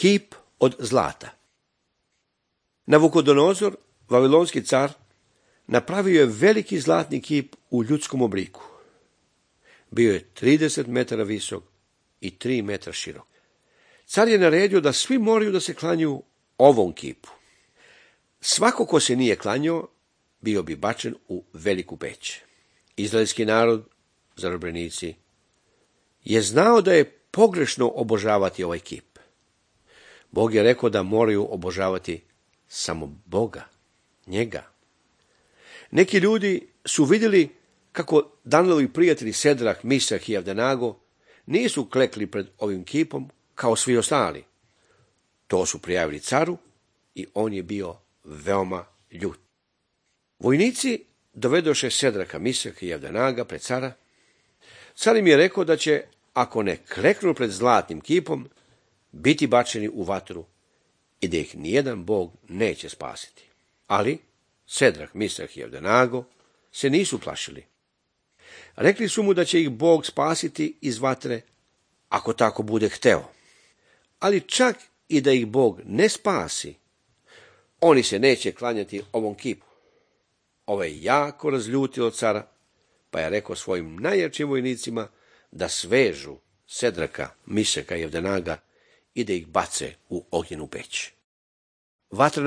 Kip od zlata. Navukodonozor, vavilonski car, napravio je veliki zlatni kip u ljudskom obliku. Bio je 30 metara visok i 3 metra širok. Car je naredio da svi moraju da se klanjaju ovom kipu. Svako ko se nije klanjao, bio bi bačen u veliku peć. Izraelski narod, zarobljenici, je znao da je pogrešno obožavati ovaj kip. Bog je rekao da moraju obožavati samo Boga, njega. Neki ljudi su vidjeli kako Danijelovi prijatelji Sedrak, Misak i Avdenago nisu klekli pred ovim kipom kao svi ostali. To su prijavili caru i on je bio veoma ljut. Vojnici dovedoše Sedraka, Misaka i Avdenaga pred cara. Car im je rekao da će, ako ne kleknu pred zlatnim kipom, biti bačeni u vatru i da ih nijedan Bog neće spasiti. Ali Sedrak, Misak i Avdenago se nisu plašili. Rekli su mu da će ih Bog spasiti iz vatre, ako tako bude hteo. Ali čak i da ih Bog ne spasi, oni se neće klanjati ovom kipu. Ovo je jako razljutilo cara, pa je rekao svojim najjačim vojnicima da svežu Sedraka, Misaka i Avdenaga i da ih bace u ognjenu peć. Vatrena